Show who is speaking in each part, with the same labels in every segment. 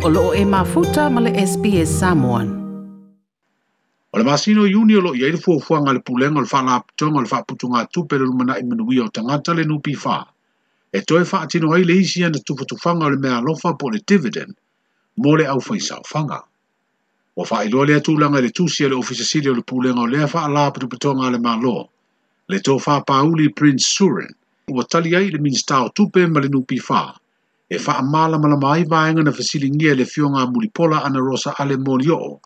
Speaker 1: O loo e mafuta ma le SBS Samoan.
Speaker 2: O le masina o Iuni o lo o i ai le fuafuaga a le Pulega o le Faalapotopotoga o le Faaputugatupe o le Lumanai Manuia o Tagata le NPF e toe faatino ai le isi ana tufatufaga o le meaalofa po o le dividend mo le aufaisaofaga. Ua faailoa lea tulaga i le tusi a le Ofisa Sili o le Pulega o lea Faalapotopotoga a le Malo, le Tofa Pauli Prince Surin, ua tali ai i le Minisita o Tupe ma le NPF e faamalamalama ai vaega na fesiligia e le Afioga a Mulipola Anarosa Ale Molioo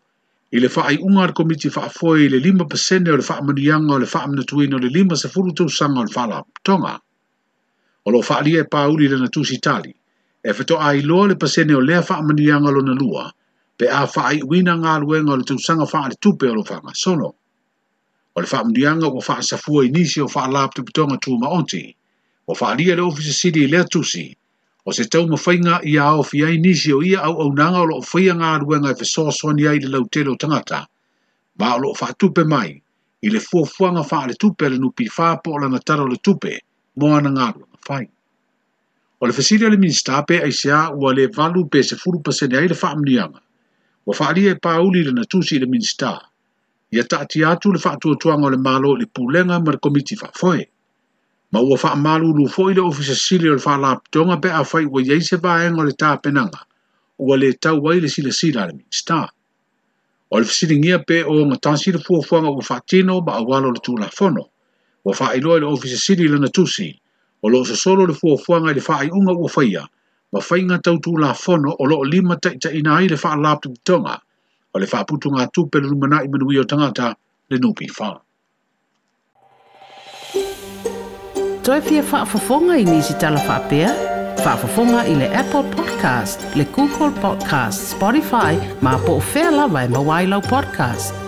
Speaker 2: i le faaiuga a le Komiti Faafoe i le 5% o le faamanuiaga o le faamanatuina o le 50 tausaga o le Faalapotopotoga. O lo o faaalia e Pauli i lana tusi tali, e faatoa iloa le pasene o lea faamanuiaga lona lua pe a faaiuina galuega o le tausaga faaletupe o lo o faagasolo. O le faamanuiaga ua faasafua i nisi o faalapotopotoga tumaoti, ua faaalia e le Ofisa Sili i lea tusi, o se taumafaiga ia aofia ai nisi o ia auaunaga o lo o faia galuega e fesoasoani ai i le lautele o tagata, ma o lo o faatupe mai i le fuafuaga faaletupe a le NPF po o lana Tala o le Tupe mo ana galuega fai. O le fesili a le Minisita pe aisea ua le 8 pe 10% ai le faamanuiaga, ua faaalia e Pauli i lana tusi i le Minisita, ia taatia atu le faatuatuaga o le Malo i le Pulega ma le Komiti Faafoe. Ma ua faamalulu foi le Ofisa Sili o le Faalapotopotoga pe afai ua i ai se vaega o le tapenaga ua le tau ai le silasila a le Minisita. O le fesiligia pe o ogatasi le fuafuaga ua faatino ma auala o le Tulafono, ua faailoa e le Ofisa Sili i lana tusi, o lo o sosolo le fuafuaga i le faaiuga ua faia ma faiga tau Tulafono o lo o limataitaiina ai le Faalapotopotoga o le Faaputugatupe o le Lumanai Manuia o Tagata, le NPF.
Speaker 1: Toe fia faafofoga i nisi tala faapea? Faafofoga i le Apple Podcast, le Google Podcast, Spotify, ma po o fea lava e maua ai lau podcast.